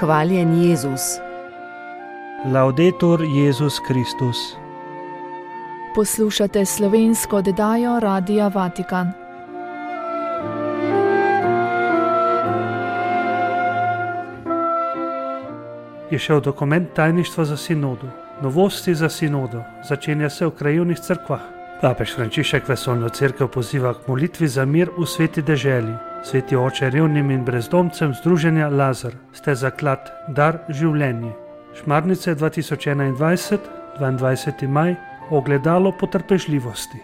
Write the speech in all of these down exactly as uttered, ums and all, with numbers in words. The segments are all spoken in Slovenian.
Hvaljen Jezus. Laudetur Jezus Kristus. Poslušate slovensko oddajo Radia Vatikan. Je šel dokument tajništva za sinodo. Novosti za sinodo. Začenja se v krajevnih cerkvah. Papež Frančišek vesoljno cerkev poziva k molitvi za mir v sveti deželi. Sveti oče revnim in brezdomcem združenja Lazar, ste zaklad, dar, življenje. Šmarnice dva tisoč enaindvajset, dvaindvajseti maj, ogledalo potrpežljivosti.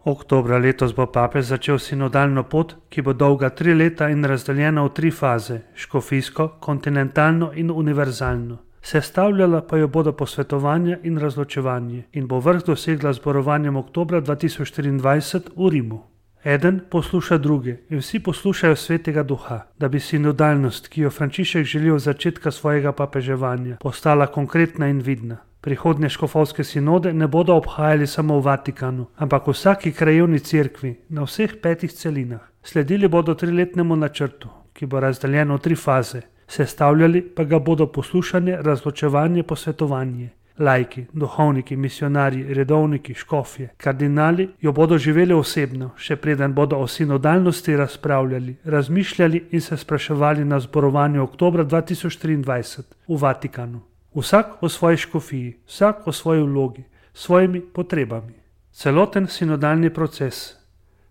Oktobra letos bo papež začel sinodalno pot, ki bo dolga tri leta in razdeljena v tri faze, škofijsko, kontinentalno in univerzalno. Sestavljala pa jo bodo posvetovanja in razločevanje in bo vrh dosegla zborovanjem oktobra dva tisoč triindvajset v Rimu. Eden posluša druge in vsi poslušajo svetega duha, da bi sinodalnost, ki jo Frančišek želi od začetka svojega papeževanja, postala konkretna in vidna. Prihodnje škofovske sinode ne bodo obhajali samo v Vatikanu, ampak v vsaki krajevni cerkvi na vseh petih celinah. Sledili bodo triletnemu načrtu, ki bo razdeljen v tri faze, sestavljali pa ga bodo poslušanje, razločevanje, posvetovanje. Laiki, duhovniki, misionarji, redovniki, škofje, kardinali jo bodo živeli osebno, še preden bodo o sinodalnosti razpravljali, razmišljali in se spraševali na zborovanju oktobra dva tisoč triindvajset v Vatikanu. Vsak o svoji škofiji, vsak o svoji vlogi, svojimi potrebami. Celoten sinodalni proces,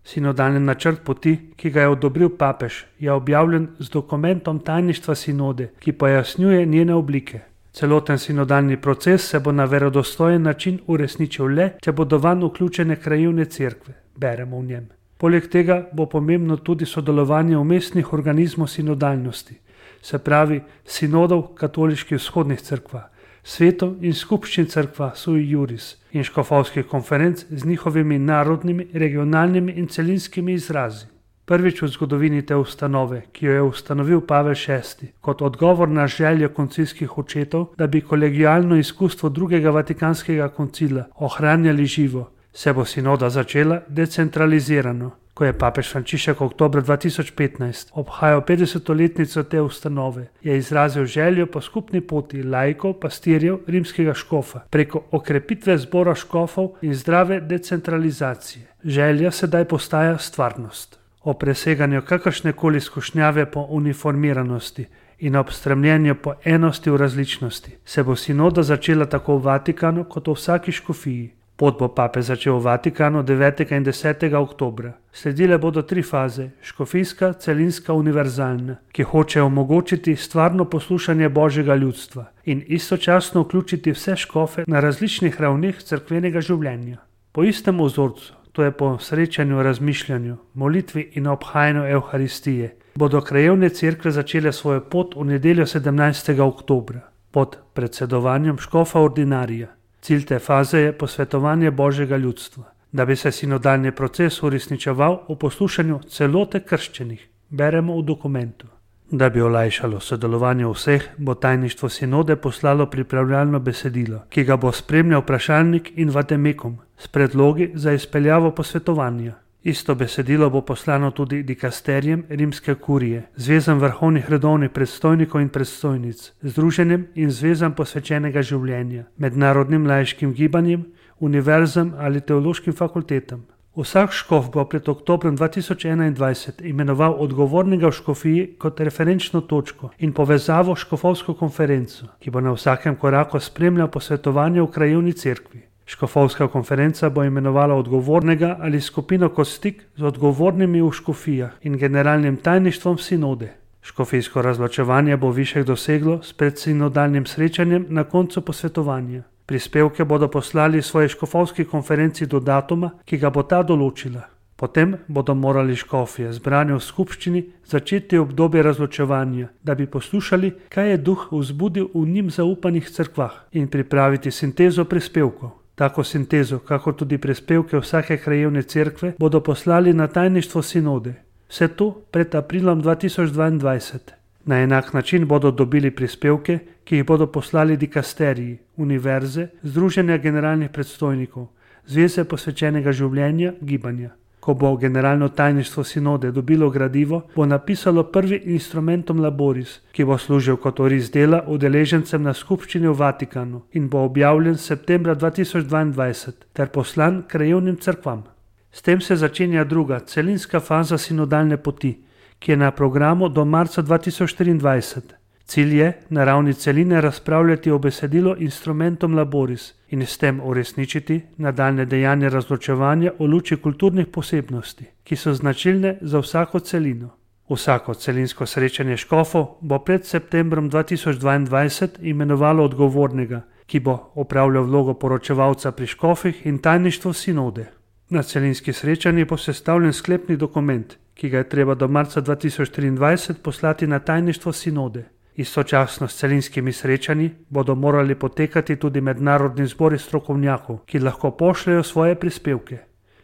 sinodalni načrt poti, ki ga je odobril papež, je objavljen z dokumentom tajništva sinode, ki pojasnjuje njene oblike. Celoten sinodalni proces se bo na verodostojen način uresničil le, če bodo vanj vključene krajevne cerkve, beremo v njem. Poleg tega bo pomembno tudi sodelovanje umestnih organizmov sinodalnosti, se pravi sinodov katoliških vzhodnih cerkva, svetov in skupščin cerkva sui juris in škofovskih konferenc z njihovimi narodnimi, regionalnimi in celinskimi izrazi. Prvič v zgodovini te ustanove, ki jo je ustanovil Pavel šesti, kot odgovor na željo koncilskih očetov, da bi kolegialno izkustvo drugega vatikanskega koncila ohranjali živo, se bo sinoda začela decentralizirano. Ko je papež Frančišek oktobra dva tisoč petnajst obhajal petdesetletnico te ustanove, je izrazil željo po skupni poti laikov, pastirjev, rimskega škofa, preko okrepitve zbora škofov in zdrave decentralizacije. Želja sedaj postaja stvarnost. O preseganju kakršnekoli skušnjave po uniformiranosti in ob stremljenju po enosti v različnosti se bo sinoda začela tako v Vatikanu kot v vsaki škofiji. Pot bo papež začel v Vatikanu devetega in desetega oktobra. Sledile bodo tri faze, škofijska, celinska, univerzalna, ki hoče omogočiti stvarno poslušanje Božjega ljudstva in istočasno vključiti vse škofe na različnih ravneh cerkvenega življenja. Po istem vzorcu, to je po srečanju, razmišljanju, molitvi in obhajanju Evharistije, bodo krajevne cerkve začele svojo pot v nedeljo sedemnajstega oktobra pod predsedovanjem škofa ordinarija. Cilj te faze je posvetovanje Božjega ljudstva, da bi se sinodalni proces uresničeval v poslušanju celote krščenih, beremo v dokumentu. Da bi olajšalo sodelovanje vseh, bo tajništvo sinode poslalo pripravljalno besedilo, ki ga bo spremljal vprašalnik in vademekum s predlogi za izpeljavo posvetovanja. Isto besedilo bo poslano tudi dikasterijem rimske kurije, zvezam vrhovnih redovnih predstojnikov in predstojnic, združenjem in zvezam posvečenega življenja, mednarodnim laiškim gibanjem, univerzam ali teološkim fakultetam. Vsak škof bo pred oktobrom dva tisoč enaindvajset imenoval odgovornega v škofiji kot referenčno točko in povezavo škofovsko konferenco, ki bo na vsakem koraku spremljal posvetovanje v krajevni cerkvi. Škofovska konferenca bo imenovala odgovornega ali skupino kot stik z odgovornimi v škofijah in generalnim tajništvom sinode. Škofijsko razločevanje bo višek doseglo s predsinodalnim srečanjem na koncu posvetovanja. Prispevke bodo poslali svoji škofovski konferenci do datuma, ki ga bo ta določila. Potem bodo morali škofje, zbrani v skupščini, začeti obdobje razločevanja, da bi poslušali, kaj je duh vzbudil v njim zaupanih cerkvah in pripraviti sintezo prispevkov. Tako sintezo, kako tudi prispevke vsake krajevne cerkve, bodo poslali na tajništvo sinode. Vse to pred aprilom dva tisoč dvaindvajset. Na enak način bodo dobili prispevke, ki jih bodo poslali dikasteriji, univerze, združenja generalnih predstojnikov, zveze posvečenega življenja, gibanja. Ko bo generalno tajništvo sinode dobilo gradivo, bo napisalo prvi instrumentum laboris, ki bo služil kot oris dela udeležencem na skupščini v Vatikanu in bo objavljen septembra dva tisoč dvaindvajset ter poslan krajevnim cerkvam. S tem se začenja druga, celinska faza sinodalne poti, ki je na programu do marca dva tisoč triindvajset. Cilj je na ravni celine razpravljati o besedilu instrumentum laboris in s tem uresničiti nadaljne dejanje razločevanja v luči kulturnih posebnosti, ki so značilne za vsako celino. Vsako celinsko srečanje škofov bo pred septembrom dva tisoč dvaindvajset imenovalo odgovornega, ki bo opravljal vlogo poročevalca pri škofih in tajništvu sinode. Na celinski srečanji bo sestavljen sklepni dokument, ki ga je treba do marca dva tisoč triindvajset poslati na tajništvo sinode. Istočasno s celinskimi srečanji bodo morali potekati tudi mednarodni zbori strokovnjakov, ki lahko pošljajo svoje prispevke.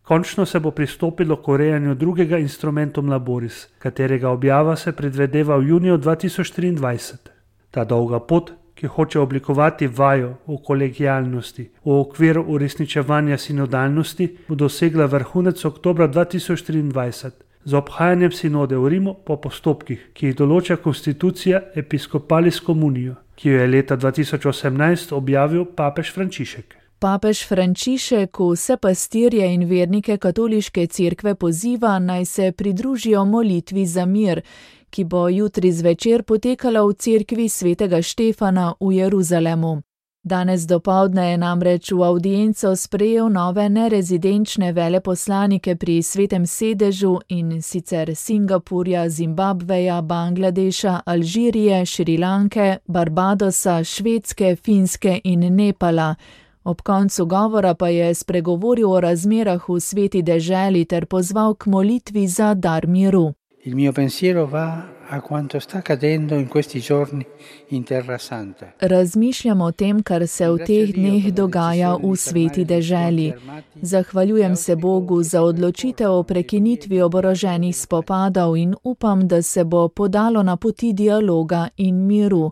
Končno se bo pristopilo k urejanju drugega instrumentum laboris, katerega objava se predvideva v juniju dva tisoč triindvajset. Ta dolga pot, ki hoče oblikovati vajo v kolegialnosti v okviru uresničevanja sinodalnosti, bo dosegla vrhunec oktobra dva tisoč triindvajset. Z obhajanjem sinode v Rimu po postopkih, ki jih določa konstitucija Episcopalis Communio, ki jo je leta dva tisoč osemnajst objavil papež Frančišek. Papež Frančišek vse pastirje in vernike katoliške cerkve poziva, naj se pridružijo molitvi za mir, ki bo jutri zvečer potekala v cerkvi svetega Štefana v Jeruzalemu. Danes dopoldne je namreč v avdienco sprejel nove nerezidenčne veleposlanike pri Svetem sedežu, in sicer Singapurja, Zimbabveja, Bangladeša, Alžirije, Šrilanke, Barbadosa, Švedske, Finske in Nepala. Ob koncu govora pa je spregovoril o razmerah v sveti deželi ter pozval k molitvi za dar miru. Il mio pensiero va a quanto sta accadendo in questi giorni in Terra Santa. Razmišljam o tem, kar se v teh dneh dogaja v sveti deželi. Zahvaljujem se Bogu za odločitev o prekinitvi oboroženih spopadov in upam, da se bo podalo na poti dialoga in miru,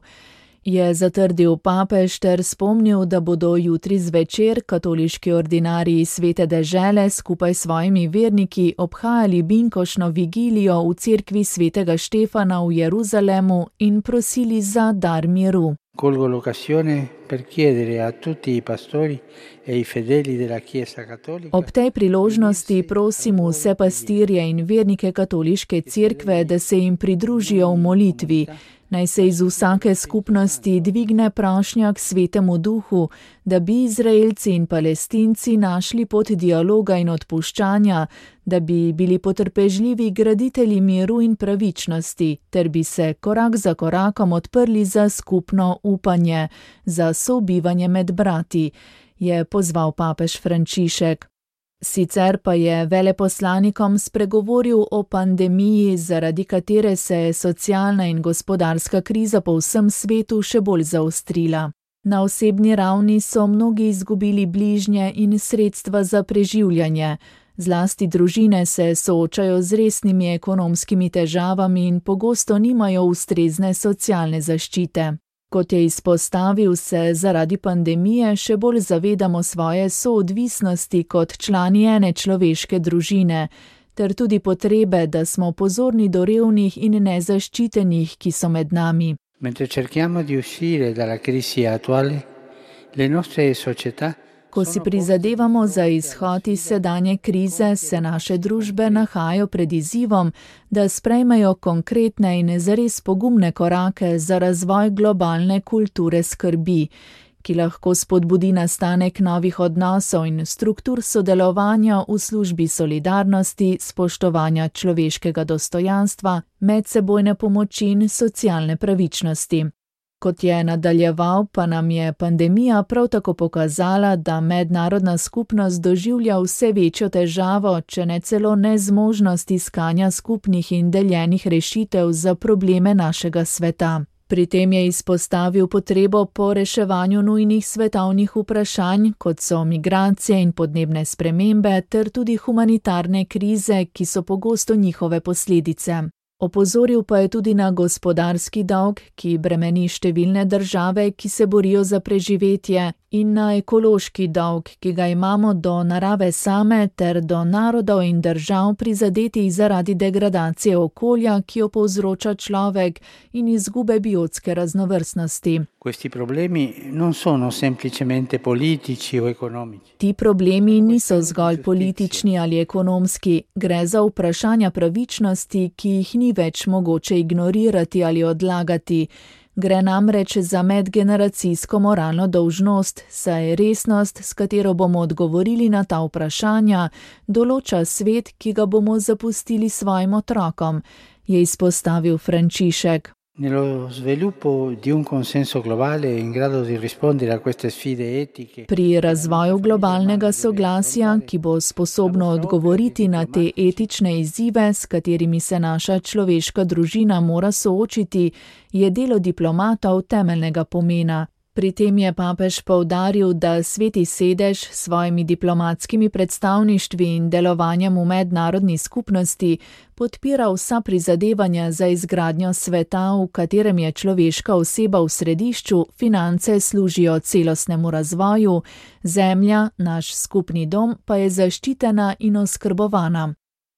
je zatrdil papež ter spomnil, da bodo jutri zvečer katoliški ordinariji svete dežele skupaj s svojimi verniki obhajali binkošno vigilijo v cerkvi svetega Štefana v Jeruzalemu in prosili za dar miru. Colgo l'occasione per chiedere a tutti i pastori e i fedeli della Chiesa Cattolica. Ob tej priložnosti prosim vse pastirje in vernike katoliške cerkve, da se jim pridružijo v molitvi. Naj se iz vsake skupnosti dvigne prošnja k Svetemu Duhu, da bi Izraelci in Palestinci našli pot dialoga in odpuščanja, da bi bili potrpežljivi graditelji miru in pravičnosti, ter bi se korak za korakom odprli za skupno upanje, za sobivanje med brati, je pozval papež Frančišek. Sicer pa je veleposlanikom spregovoril o pandemiji, zaradi katere se je socialna in gospodarska kriza po vsem svetu še bolj zaostrila. Na osebni ravni so mnogi izgubili bližnje in sredstva za preživljanje. Zlasti družine se soočajo z resnimi ekonomskimi težavami in pogosto nimajo ustrezne socialne zaščite. Kot je izpostavil, se zaradi pandemije še bolj zavedamo svoje soodvisnosti kot člani ene človeške družine, ter tudi potrebe, da smo pozorni do revnih in nezaščitenih, ki so med nami. Mentre cerchiamo di uscire dalla crisi attuale, le nostre società. Ko si prizadevamo za izhod iz sedanje krize, se naše družbe nahajajo pred izzivom, da sprejmejo konkretne in zares pogumne korake za razvoj globalne kulture skrbi, ki lahko spodbudi nastanek novih odnosov in struktur sodelovanja v službi solidarnosti, spoštovanja človeškega dostojanstva, medsebojne pomoči in socialne pravičnosti. Kot je nadaljeval, pa nam je pandemija prav tako pokazala, da mednarodna skupnost doživlja vse večjo težavo, če ne celo nezmožnost iskanja skupnih in deljenih rešitev za probleme našega sveta. Pri tem je izpostavil potrebo po reševanju nujnih svetovnih vprašanj, kot so migracije in podnebne spremembe, ter tudi humanitarne krize, ki so pogosto njihove posledice. Opozoril pa je tudi na gospodarski dolg, ki bremeni številne države, ki se borijo za preživetje, in na ekološki dolg, ki ga imamo do narave same ter do narodov in držav prizadetih zaradi degradacije okolja, ki jo povzroča človek, in izgube biotske raznovrstnosti. Questi problemi non sono semplicemente politici o economici. Ti problemi niso zgolj politični ali ekonomski, gre za vprašanja pravičnosti, ki jih ni več mogoče ignorirati ali odlagati. Gre namreč za medgeneracijsko moralno dolžnost, saj resnost, s katero bomo odgovorili na ta vprašanja, določa svet, ki ga bomo zapustili svojim otrokom, je izpostavil Frančišek. Nello sviluppo di un consenso globale in grado di rispondere a queste sfide etiche. Pri razvoju globalnega soglasja, ki bo sposobno odgovoriti na te etične izzive, s katerimi se naša človeška družina mora soočiti, je delo diplomatov temeljnega pomena. Pri tem je papež poudaril, da Sveti sedež s svojimi diplomatskimi predstavništvi in delovanjem v mednarodni skupnosti podpira vsa prizadevanja za izgradnjo sveta, v katerem je človeška oseba v središču, finance služijo celostnemu razvoju, zemlja, naš skupni dom, pa je zaščitena in oskrbovana.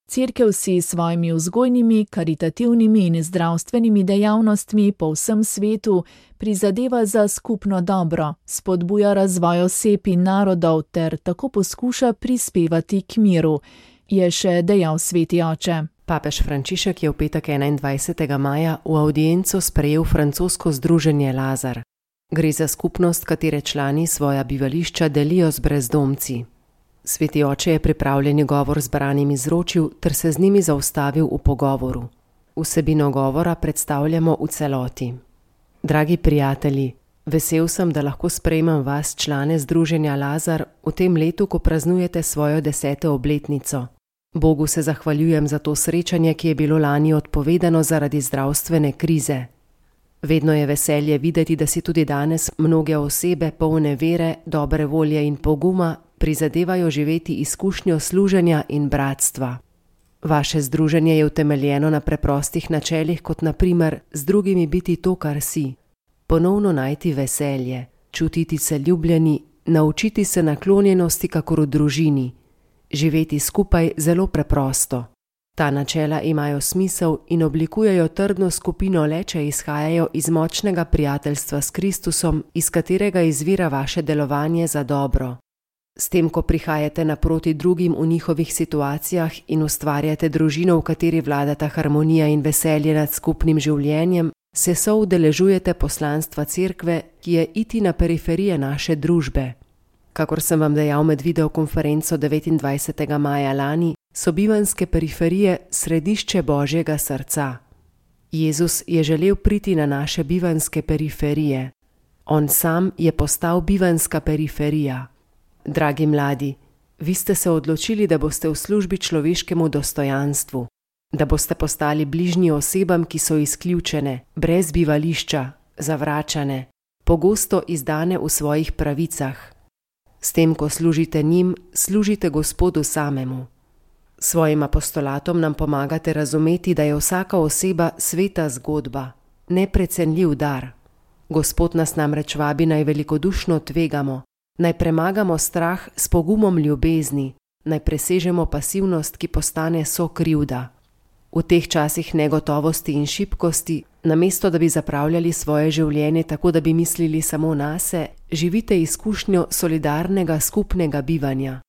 Cerkev si s svojimi vzgojnimi, karitativnimi in zdravstvenimi dejavnostmi po vsem svetu prizadeva za skupno dobro, spodbuja razvoj oseb in narodov ter tako poskuša prispevati k miru, je še dejal sveti oče. Papež Frančišek je v petek enaindvajsetega maja v avdienco sprejel francosko združenje Lazar. Gre za skupnost, katere člani svoja bivališča delijo z brezdomci. Sveti oče je pripravljeni govor zbranim izročil ter se z njimi zaustavil v pogovoru. Vsebino govora predstavljamo v celoti. Dragi prijatelji, vesel sem, da lahko sprejmem vas, člane združenja Lazar, v tem letu, ko praznujete svojo deseto obletnico. Bogu se zahvaljujem za to srečanje, ki je bilo lani odpovedano zaradi zdravstvene krize. Vedno je veselje videti, da si tudi danes mnoge osebe polne vere, dobre volje in poguma prizadevajo živeti izkušnjo služenja in bratstva. Vaše združenje je utemeljeno na preprostih načelih, kot na primer z drugimi biti to, kar si. Ponovno najti veselje, čutiti se ljubljeni, naučiti se naklonjenosti kakor v družini, živeti skupaj zelo preprosto. Ta načela imajo smisel in oblikujejo trdno skupino le, če izhajajo iz močnega prijateljstva s Kristusom, iz katerega izvira vaše delovanje za dobro. S tem, ko prihajate naproti drugim v njihovih situacijah in ustvarjate družino, v kateri vladata harmonija in veselje nad skupnim življenjem, se soudeležujete poslanstva cerkve, ki je iti na periferije naše družbe. Kakor sem vam dejal med videokonferenco devetindvajsetega maja lani, so bivanske periferije središče Božjega srca. Jezus je želel priti na naše bivanske periferije. On sam je postal bivanska periferija. Dragi mladi, vi ste se odločili, da boste v službi človeškemu dostojanstvu, da boste postali bližnji osebam, ki so izključene, brez bivališča, zavračane, pogosto izdane v svojih pravicah. S tem, ko služite njim, služite Gospodu samemu. Svojim apostolatom nam pomagate razumeti, da je vsaka oseba sveta zgodba, neprecenljiv dar. Gospod nas namreč vabi naj velikodušno tvegamo, naj premagamo strah s pogumom ljubezni, naj presežemo pasivnost, ki postane sokrivda. V teh časih negotovosti in šibkosti, namesto da bi zapravljali svoje življenje tako, da bi mislili samo nase, živite izkušnjo solidarnega skupnega bivanja.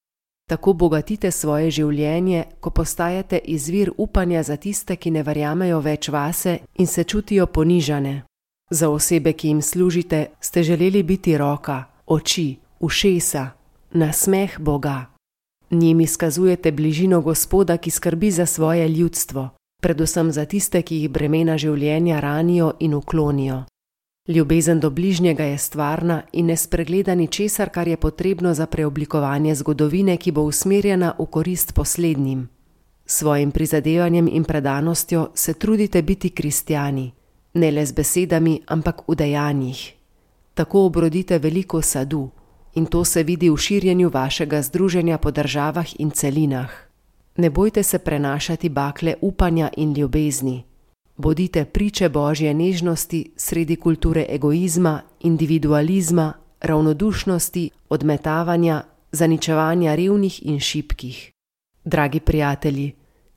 Tako bogatite svoje življenje, ko postajate izvir upanja za tiste, ki ne verjamejo več vase in se čutijo ponižane. Za osebe, ki jim služite, ste želeli biti roka, oči, ušesa, nasmeh Boga. Njim izkazujete bližino Gospoda, ki skrbi za svoje ljudstvo, predvsem za tiste, ki jih bremena življenja ranijo in uklonijo. Ljubezen do bližnjega je stvarna in ne spregleda ničesar, kar je potrebno za preoblikovanje zgodovine, ki bo usmerjena v korist poslednjim. Svojim prizadevanjem in predanostjo se trudite biti kristjani, ne le z besedami, ampak v dejanjih. Tako obrodite veliko sadu in to se vidi v širjenju vašega združenja po državah in celinah. Ne bojte se prenašati bakle upanja in ljubezni. Bodite priče Božje nežnosti sredi kulture egoizma, individualizma, ravnodušnosti, odmetavanja, zaničevanja revnih in šibkih. Dragi prijatelji,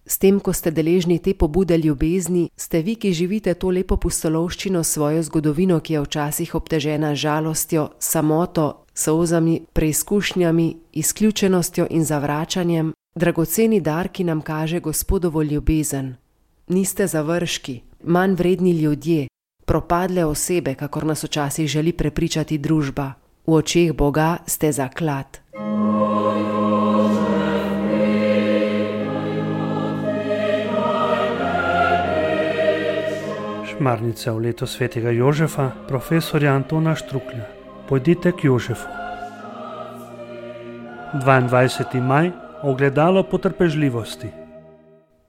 s tem, ko ste deležni te pobude ljubezni, ste vi, ki živite to lepo pustolovščino svojo zgodovino, ki je včasih obtežena žalostjo, samoto, solzami, preizkušnjami, izključenostjo in zavračanjem, dragoceni dar, ki nam kaže Gospodovo ljubezen. Niste završki, manj vredni ljudje, propadle osebe, kakor nas včasih želi prepričati družba. V očeh Boga ste zaklad. Šmarnica v leto svetega Jožefa, profesorja Antona Štruklja. Pojdite k Jožefu. dvaindvajseti maj, ogledalo potrpežljivosti.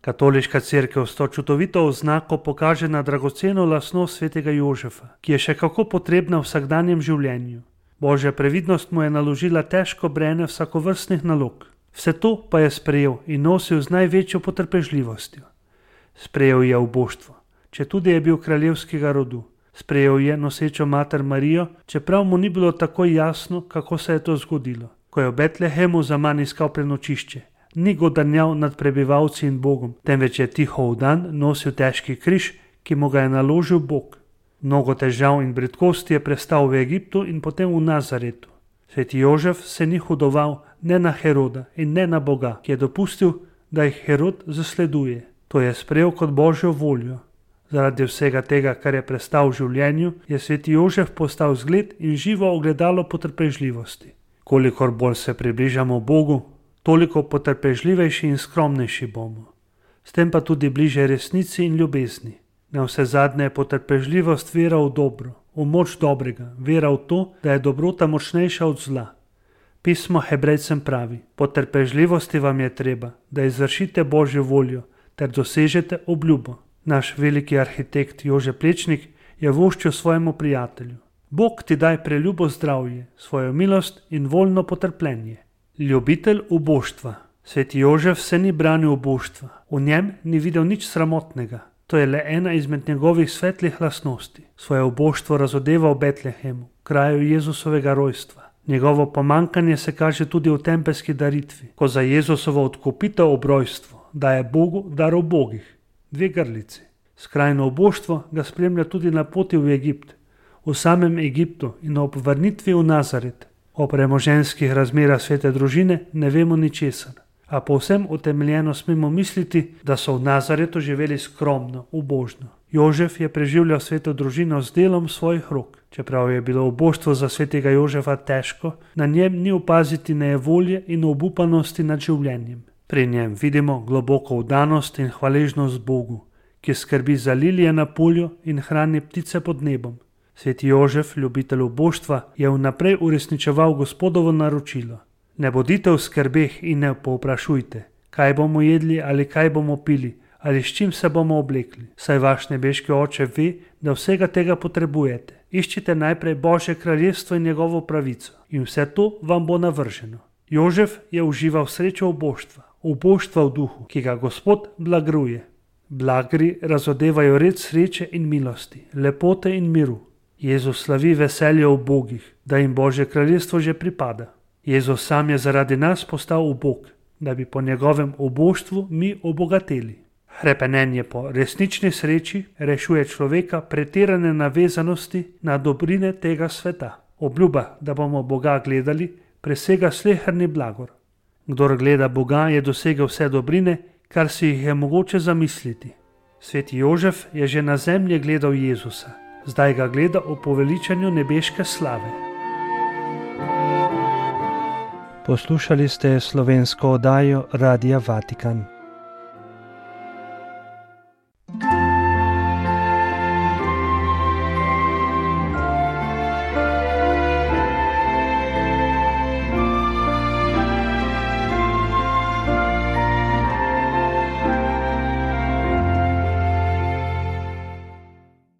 Katoliška cerkev s to čudovito oznako pokaže na dragoceno lastnost svetega Jožefa, ki je še kako potrebna v vsakdanjem življenju. Božja previdnost mu je naložila težko breme vsakovrstnih nalog. Vse to pa je sprejel in nosil z največjo potrpežljivostjo. Sprejel je uboštvo, četudi je bil kraljevskega rodu. Sprejel je nosečo mater Marijo, čeprav mu ni bilo tako jasno, kako se je to zgodilo. Ko je v Betlehemu zaman iskal prenočišče, ni godanjal nad prebivalci in Bogom, temveč je tiho v dan nosil težki križ, ki mu ga je naložil Bog. Mnogo težav in bridkosti je prestal v Egiptu in potem v Nazaretu. Sveti Jožef se ni hudoval ne na Heroda in ne na Boga, ki je dopustil, da jih Herod zasleduje. To je sprejel kot Božjo voljo. Zaradi vsega tega, kar je prestal v življenju, je sveti Jožef postal zgled in živo ogledalo potrpežljivosti. Kolikor bolj se približamo Bogu, toliko potrpežljivejši in skromnejši bomo. S tem pa tudi bliže resnici in ljubezni. Na vse zadnje je potrpežljivost vera v dobro, v moč dobrega, vera v to, da je dobrota močnejša od zla. Pismo Hebrejcem pravi: potrpežljivosti vam je treba, da izvršite Božjo voljo ter dosežete obljubo. Naš veliki arhitekt Jože Plečnik je voščil svojemu prijatelju: Bog ti daj preljubo zdravje, svojo milost in voljno potrpljenje. Ljubitelj uboštva. Sveti Jožef se ni branil uboštva, v njem ni videl nič sramotnega. To je le ena izmed njegovih svetlih lastnosti. Svoje uboštvo razodeva v Betlehemu, kraju Jezusovega rojstva. Njegovo pomankanje se kaže tudi v tempelski daritvi, ko za Jezusovo odkupitev ob rojstvu daje Bogu dar ubogih. Dve grlici. Skrajno uboštvo ga spremlja tudi na poti v Egipt, v samem Egiptu in ob vrnitvi v Nazaret. O premoženjskih razmerah svete družine ne vemo ničesar, a povsem utemeljeno smemo misliti, da so v Nazaretu živeli skromno, ubožno. Jožef je preživljal sveto družino z delom svojih rok. Čeprav je bilo uboštvo za svetega Jožefa težko, na njem ni opaziti nejevolje in obupanosti nad življenjem. Pri njem vidimo globoko vdanost in hvaležnost Bogu, ki skrbi za lilije na polju in hrani ptice pod nebom. Sveti Jožef, ljubitelj uboštva, je vnaprej uresničeval Gospodovo naročilo: ne bodite v skrbeh in ne povprašujte, kaj bomo jedli ali kaj bomo pili ali s čim se bomo oblekli, saj vaš nebeški Oče ve, da vsega tega potrebujete. Iščite najprej Božje kraljestvo in njegovo pravico in vse to vam bo navrženo. Jožef je užival srečo uboštva, uboštva v duhu, ki ga Gospod blagruje. Blagri razodevajo red sreče in milosti, lepote in miru. Jezus slavi veselje v bogih, da jim Božje kraljestvo že pripada. Jezus sam je zaradi nas postal ubog, da bi po njegovem uboštvu mi obogateli. Hrepenenje po resnični sreči rešuje človeka pretirane navezanosti na dobrine tega sveta. Obljuba, da bomo Boga gledali, presega sleherni blagor. Kdor gleda Boga, je dosegel vse dobrine, kar si jih je mogoče zamisliti. Sveti Jožef je že na zemlji gledal Jezusa, zdaj ga gleda o poveličanju nebeške slave. Poslušali ste slovensko oddajo Radia Vatikan.